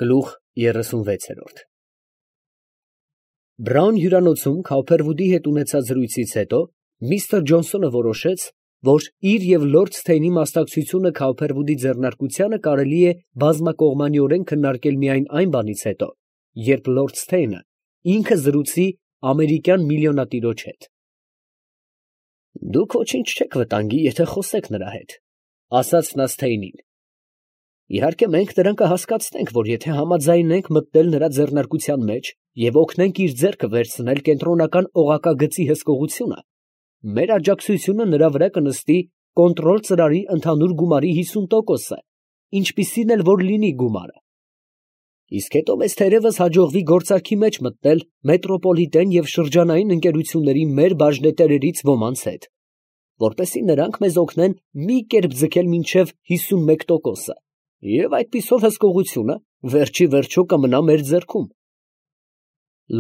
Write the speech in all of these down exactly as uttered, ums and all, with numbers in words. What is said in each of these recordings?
Գլուխ երեսունվեց։ Բրաուն հյուրանոցում Քոուփերվուդի հետ ունեցած զրույցից հետո միստր Ջոնսոնը որոշեց, որ իր և լորդ Սթեյնի մասնակցությունը Քոուփերվուդի ձեռնարկությանը կարելի է բազմակողմանիորեն քննարկել միայն այն բանից հետո, երբ լորդ Սթեյնը ինքը զրուցի ամերիկյան միլիոնատիրոջ հետ։ ֊ Դուք ոչինչ չեք վտանգի, եթե խոսեք նրա հետ, ֊ ասաց նա Սթեյնին։ ֊ Իհարկե մենք նրան կհասկացնենք, որ եթե համաձայնենք մտնել նրա ձեռնարկության մեջ և օգնենք իր ձեռքը վերցնել կենտրոնական օղակագծի հսկողությունը, մեր աջակցությունը նրա վրա կնստի կոնտրոլ ծրարի ընդհանուր գումարի հիսուն տոկոսը, ինչպիսին էլ որ լինի գումարը։ Իսկ հետո մեզ թերևս հաջողվի գործարքի մեջ մտնել մետրոպոլիտեն և շրջանային ընկերությունների մեր բաժնետերերից ոմանց հետ, որպեսզի նրանք մեզ օգնեն մի կերպ ձգել մինչև հիսունմեկ տոկոսը, և այդպիսով հսկողությունը վերջի վերջո կմնա մեր ձեռքում։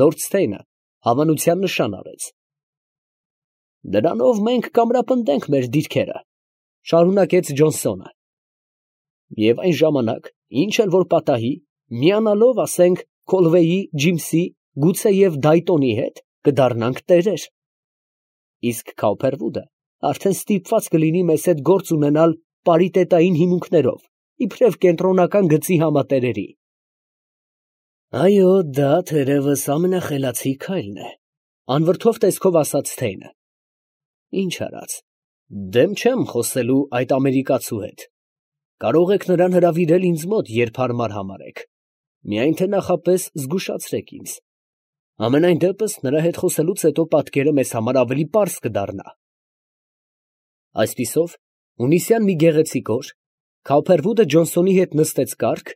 Լորդ Սթեյնը հավանության նշան արեց։ ֊ Դրանով մենք կամրապնդենք մեր դիրքերը, ֊ շարունակեց Ջոնսոնը, ֊ և այն ժամանակ, ինչ էլ որ պատահի, միանալով, ասենք, Քոլվեյի, Ջիմսի, գուցեև Դայտոնի հետ, կդառնանք տերեր. իսկ Քոուփերվուդը արդեն ստիպված կլինի մեզ հետ գործ ունենալ պարիտետային հիմունքներով, իբրև կենտրոնական գծի համատերերի։ ֊ Այո, դա թերևս ամենախելացի քայլն է, ֊ անվրդով տեսքով ասաց Սթեյնը։ ֊ Ինչ արած, դեմ չեմ խոսելու այդ ամերիկացու հետ. կարող եք նրան հրավիրել ինձ մոտ, երբ հարմար համարեք, միայն թե նախապես զգուշացրեք ինձ. համենայն դեպս նրա հետ խոսելուց հետո պատկերը մեզ համար ավելի պարզ կդառնա։ Այսպիսով, հունիսյան մի գեղեցիկ օր Քոուփերվուդը Ջոնսոնի հետ նստեց կառք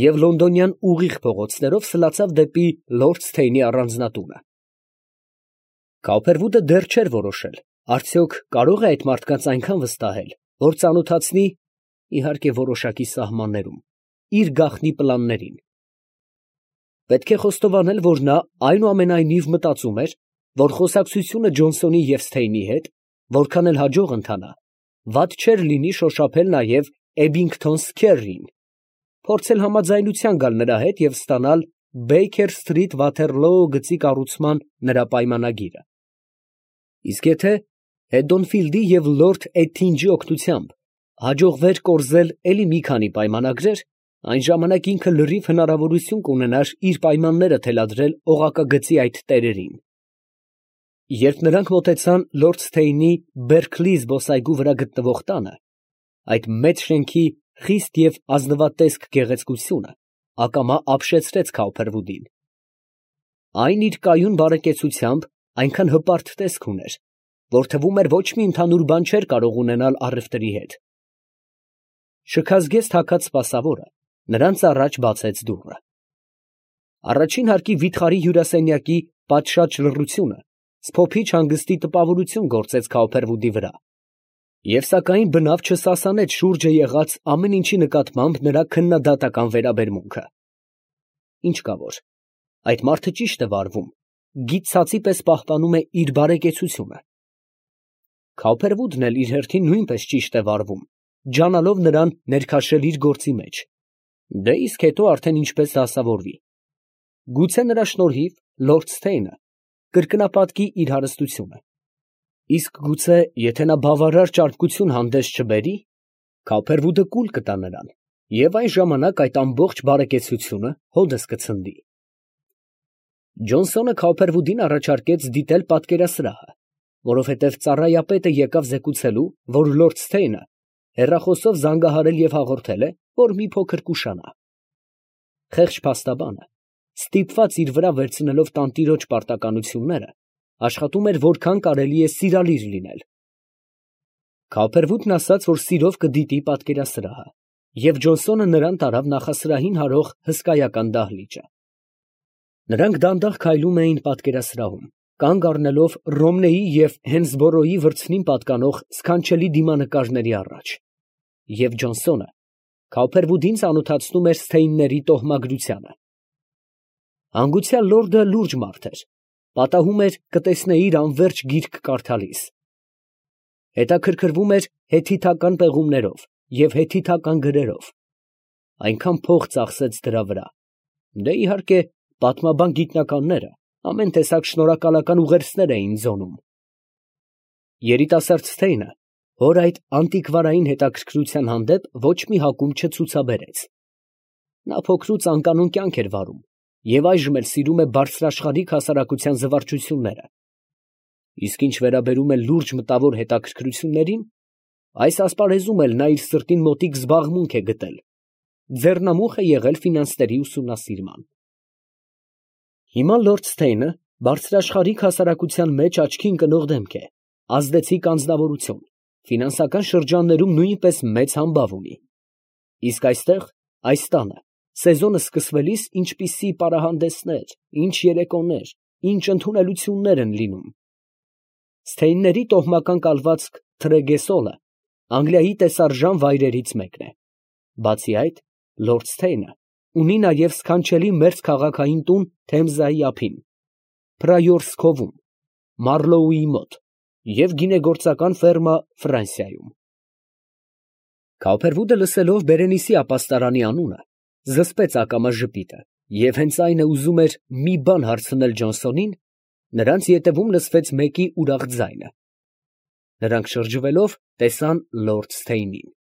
և լոնդոնյան ուղիղ փողոցներով սլացավ դեպի լորդ Սթեյնի առանձնատունը։ Քոուփերվուդը դեռ չէր որոշել, արդյոք կարո՞ղ է այդ մարդկանց այնքան վստահել, որ ծանոթացնի, իհարկե որոշակի սահմաններում, իր գաղտնի պլաններին։ Պետք է խոստովանել, որ նա այնուամենայնիվ մտածում էր, որ խոսակցությունը Ջոնսոնի և Սթեյնի հետ, որքան էլ հաջող ընթանա, վատ չէր լինի շոշափել նաև Էբինգթոն Սքեռին, փորձել համաձայնության գալ նրա հետ և ստանալ Բեյքեր Սթրիթ Վաթերլոո գծի կառուցման նրա պայմանագիրը։ Իսկ եթե Հեդոնֆիլդի և լորդ Էթինջի օգնությամբ հաջողվեր կորզել էլի մի քանի պայմանագրեր, այն ժամանակ ինքը լրիվ հնարավորություն կունենար իր պայմանները թելադրել օղակագծի այդ տերերին։ Երբ նրանք մոտեցան լորդ Սթեյնի Բերքլի զբոսայգու վրա գտնվող տանը, այդ մեծ շենքի խիստ և ազնվատեսկ գեղեցկությունը ակամա ապշեցրեց Քոուփերվուդին։ Այն իր կայուն բարեկեցությամբ այնքան հպարտ տեսք ուներ, որ թվում էր ոչ մի ընդհանուր բան չէր կարող ունենալ առևտրի հետ։ Շքազգեստ հագած սպասավորը նրանց առաջ բացեց դուռը։ Առաջին հարկի վիթխարի հյուրասենյակի պատշաճ լռությունը սփոփիչ հանգստի տպավորություն գործեց Քոուփերվուդի վրա, և սակայն բնավ չսասանեց շուրջը եղած ամեն ինչի նկատմամբ նրա քննադատական վերաբերմունքը։ Ինչ կա որ, այդ մարդը ճիշտ է վարվում, գիծ ցածի պես պահպանում է իր բարեկեցությունը։ Քոուփերվուդն էլ իր հերթին նույնպես ճիշտ է վարվում, ջանալով նրան ներքաշել իր գործի մեջ, դե իսկ հետո արդեն ինչպես դասավորվի։ Գուցե նրա շնորհիվ լորդ Սթեյնը կրկնապատկի իր հարստությունը, իսկ գուցե եթե նա բավարար ճարպկություն հանդես չբերի, Քոուփերվուդը կուլ կտա նրան, և այն ժամանակ այդ ամբողջ բարեկեցությունը հօդս կցնդի։ Ջոնսոնը Քոուփերվուդին առաջարկեց դիտել պատկերասրահը, որովհետև ծառայապետը եկավ զեկուցելու, որ լորդ Սթեյնը հեռախոսով զանգահարել և հաղորդել է, որ մի փոքր կուշանա։ Խեղճ փաստաբանը, ստիպված իր վրա վերցնելով տանտիրոջ պարտականությունները, աշխատում էր որքան կարելի է սիրալիր լինել։ Քոուփերվուդն ասաց, որ սիրով կդիտի պատկերասրահը, և Ջոնսոնը նրան տարավ նախասրահին հարող հսկայական դահլիճը։ Նրանք դանդաղ քայլում էին պատկերասրահում, կանգ առնելով Ռոմնեի և Հենսբորոյի վրձնին պատկանող սքանչելի դիմանկարների առաջ, և Ջոնսոնը Քոուփերվուդին ծանոթացնում էր Սթեյնների տոհմագրությանը։ Հանգուցյալ լորդը լուրջ մարդ էր, պատահում էր կտեսնեի իր անվերջ գիրք կարդալիս։ Հետաքրքրվում էր հեթիթական պեղումներով և հեթիթական գրերով, այնքան փող ծախսեց դրա վրա, Դե իհարկե, պատմաբան գիտնականները ամեն տեսակ շնորհակալական ուղերձներ էին ձոնում։ Երիտասարդ Սթեյնը հոր այդ անտիկվարային հետաքրքրության հանդեպ ոչ մի հակում չցուցաբերեց։ Նա փոքրուց անկանոն կյանք էր վարում և այժմ էլ սիրում է բարձրաշխարհիկ հասարակության զվարճությունները։ Իսկ ինչ վերաբերում է լուրջ մտավոր հետաքրքրություններին, այս ասպարեզում էլ նա իր սրտին մոտիկ զբաղմունք է գտել, ձեռնամուխ է եղել ֆինանսների ուսումնասիրման։ Հիմա լորդ Սթեյնը բարձրաշխարհիկ հասարակության մեջ աչքի ընկնող դեմք է, ազդեցիկ անձնավորություն, ֆինանսական շրջաններում նույնպես մեծ համբավ ունի։ Իսկ այստեղ, այս տանը, սեզոնը սկսվելիս ինչպիսի պարահանդեսներ, ինչ երեկոներ, ինչ ընդունելություններ են լինում։ Սթեյնների տոհմական կալվածք Թրեգեսոլը Անգլիայի տեսարժան վայրերից մեկն է։ Բացի այդ, լորդ Սթեյնը ունի նաև սքանչելի մերձքաղաքային տուն Թեմզայի ափին, Փրայորսքովում, Մարլոուի մոտ և գինեգործական ֆերմա Ֆրանսիայում։ Քավերվուդը լսելով Բերենիսի ապաստարանի անունը, զսպեց ակամա ժպիտը և հենց այն է ուզում էր մի բան հարցնել Ջոնսոնին, նրանց ետևում լսվեց մեկի ուրախ ձայնը։ Նրանք շրջվելով, տեսան լորդ Սթեյնին։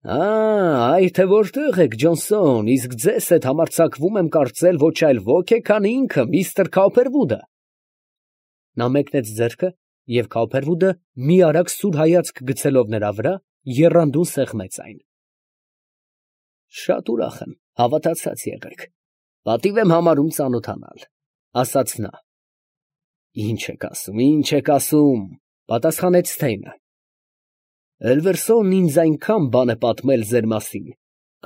Ա, թե որտե՞ղ եք, Ջոնսոն, իսկ ձեզ հետ համարձակվում եմ կարծել ոչ այլ ոք է, քան ինքը, միստր Քավերվուդը։ Նա մեկնեց ձեռքը, և Քավերվուդը, մի արագ սուր հայացք գցելով նրա վրա, եռանդուն սեղմեց այն։ Շատ ուրախ եմ, հավատացած եղեք, պատիվ եմ համարում ծանոթանալ, ասաց նա։ Ինչ եք ասում, ինչ եք ասում, պատասխանեց Սթեյնը։ Էլվերսոնն ինձ այնքան բան է պատմել ձեր մասին,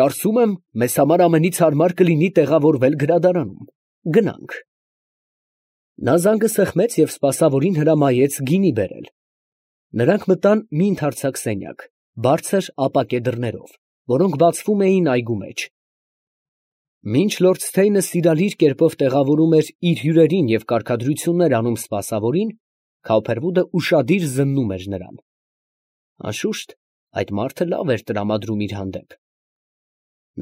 կարծում եմ, մեզ համար ամենից հարմար կլինի տեղավորվել գրադարանում, գնանք։ Նա զանգը սեղմեց և սպասավորին հրամայեց գինի բերել։ Նրանք մտան մի ընդարձակ սենյակ, բարձր ապակե դռներով, որոնք բացվում էին այգու մեջ։ Մինչ լորդ Սթեյնը սիրալիր կերպով տեղավորում էր իր հյուրերին և կարգադրություններ անում սպասավորին, Քավերվուդը ուշադիր զննում էր նրան։ Անշուշտ, այդ մարդը լավ էր տրամադրում իր հանդեպ։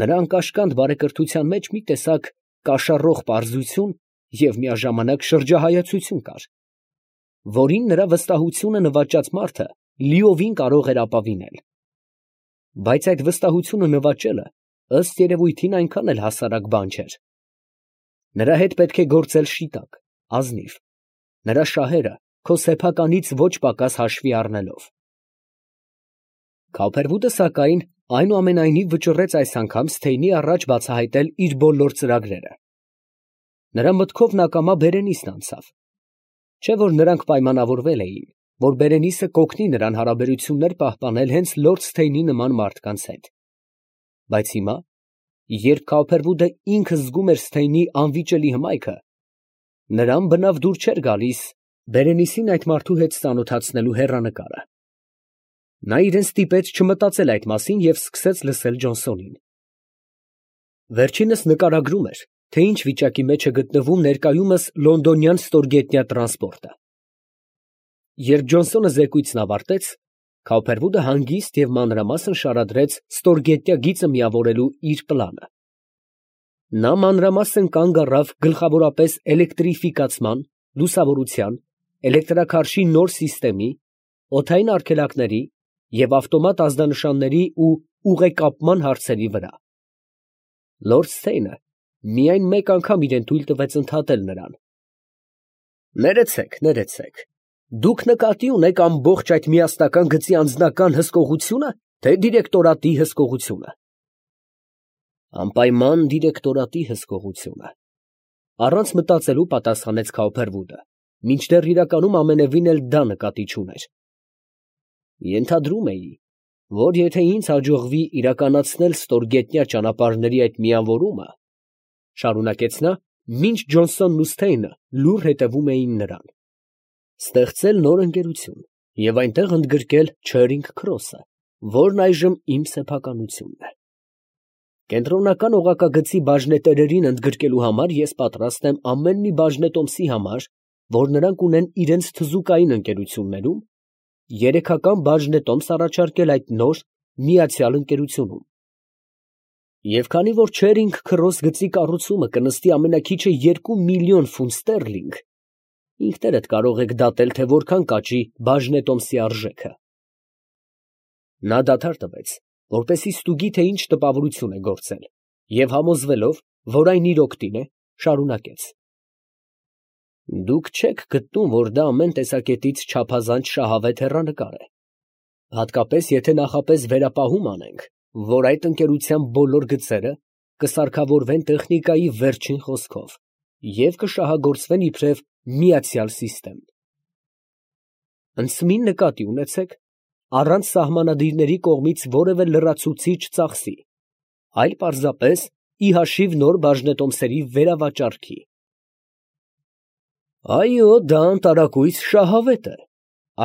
Նրա անկաշկանդ բարեկրթության մեջ մի տեսակ կաշառող պարզություն և միաժամանակ շրջահայացություն կար, որին նրա վստահությունը նվաճած մարդը լիովին կարող էր ապավինել։ Բայց այդ վստահությունը նվաճելը, ըստ երևույթին, այնքան էլ հասարակ բան չէր։ Նրա հետ պետք է գործել շիտակ, ազնիվ, նրա շահերը քո սեփականից ոչ պակաս հաշվի առնելով։ Քավերվուդը, սակայն, այնուամենայնիվ վճռեց այս անգամ Սթեյնի առաջ բացահայտել իր բոլոր ծրագրերը։ Նրա մտքով նա կամա Բերենիսն անցավ։ Չէ՞ որ նրանք պայմանավորվել էին, որ Բերենիսը կօգնի նրան հարաբերություններ պահպանել հենց լորդ Սթեյնի նման մարդկանց հետ։ Բայց հիմա, երբ Քավերվուդը ինքը զգում էր Սթեյնի անվիճելի հմայքը, նրան բնավ դուր չէր գալիս Բերենիսին այդ մարդու հետ ծանոթացնելու հեռանկարը։ Նա իրեն ստիպեց չմտածել այդ մասին և սկսեց լսել Ջոնսոնին։ Վերջինս նկարագրում էր, թե ինչ վիճակի մեջ է գտնվում ներկայումս լոնդոնյան ստորգետնյա տրանսպորտը։ Երբ Ջոնսոնը զեկույցն ավարտեց, Քավերվուդը հանգիստ և մանրամասն շարադրեց ստորգետնյա գիծը միավորելու իր պլանը։ Նա մանրամասն կանգ առավ գլխավորապես էլեկտրիֆիկացման, լուսավորության, էլեկտրաքարշի նոր սիստեմի, օդային արգելակների և ավտոմատ ազդանշանների ու ուղեկապման հարցերի վրա։ Լորդ Սթեյնը միայն մեկ անգամ իրան թույլ տվեց ընդհատել նրան։ Ներեցեք, ներեցեք, դուք նկատի ունեք ամբողջ այդ միասնական գծի անձնական հսկողությո՞ւնը, թե դիրեկտորատի հսկողությունը։ Անպայման դիրեկտորատի հսկողությունը, առանց մտածելու պատասխանեց Քավերվուդը, մինչդեռ իրականում ամենևին էլ դա նկատի չուներ։ Ենթադրում էի, որ եթե ինձ հաջողվի իրականացնել ստորգետնյա ճանապարհների այդ միավորումը, շարունակեց նա, մինչ Ջոնսոնն ու Սթեյնը լուռ հետևում էին նրան, ստեղծել նոր ընկերություն և այնտեղ ընդգրկել Չերինգ Քրոսը, որն այժմ իմ սեփականությունն է։ Կենտրոնական օղակագծի բաժնետերերին ընդգրկելու համար ես պատրաստ եմ ամեն մի բաժնետոմսի համար, որ նրանք ունեն իրենց թզուկային ընկերություններում, երեքական բաժնետոմս առաջարկել այդ նոր, միացյալ ընկերությունում։ Եվ քանի որ Չերինգ քրոս գծի կառուցումը կնստի ամենաքիչը երկու միլիոն ֆունտ ստերլինգ, ինքներդ կարող եք դատել, թե որքան կաճի բաժնետոմսի արժեքը։ Նա դադար տվեց, որպեսզի ստուգի, թե ինչ տպավորություն է գործել, և համոզվելով, որ այն իր օգտին է, շարունակեց. Դուք չեք գտնում, որ դա ամեն տեսակետից չափազանց շահավետ հեռանկար է, հատկապես եթե նախապես վերապահում անենք, որ այդ ընկերության բոլոր գծերը կսարքավորվեն տեխնիկայի վերջին խոսքով և կշահագործվեն իբրև միացյալ սիստեմ։ Ընդսմին նկատի ունեցեք, առանց սահմանադիրների կողմից որևէ լրացուցիչ ծախսի, այլ պարզապես ի հաշիվ նոր բաժնետոմսերի վերավաճառքի։ Այո, դա անտարակույս շահավետ է,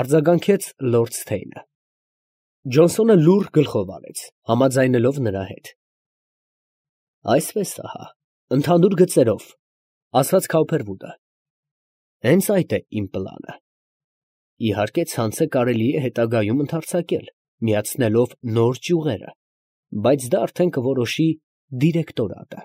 արձագանքեց լորդ Ստեյնը։ Ջոնսոնը լուռ գլխով արեց, համաձայնելով նրա հետ։ Այսպես ահա, ընդհանուր գծերով, ասաց Քաուփերվուդը, հենց այդ է իմ պլանը։ Իհարկե, ցանցը կարելի է հետագայում ընդարձակել, միացնելով նոր ճյուղերը, բայց դա արդեն կորոշի դիրեկտորատը։